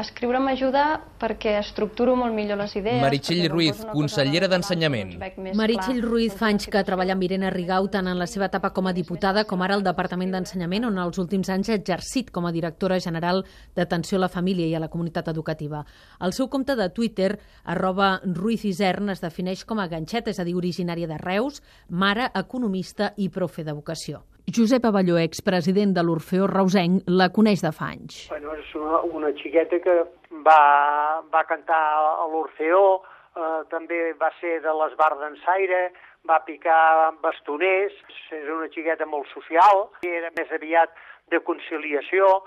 Escriure m'ajuda perquè estructuro molt millor les idees. Meritxell Ruiz, consellera d'Ensenyament. Meritxell Ruiz fa anys que treballa amb Irene Rigau tant en la seva etapa com a diputada com ara al Departament d'Ensenyament, on els últims anys ha exercit com a directora general d'Atenció a la Família i a la Comunitat Educativa. El seu compte de Twitter, @RuizIsern, es defineix com a ganxeta, és a dir, originària de Reus, mare, economista i profe d'educació. Josep Abelló, expresident de l'Orfeó reusenc, la coneix de fa anys. Bueno, és una xiqueta que va cantar a l'Orfeó, també va ser de l'Esbar d'Ensaire, va picar bastoners, és una xiqueta molt social, era més aviat de conciliació,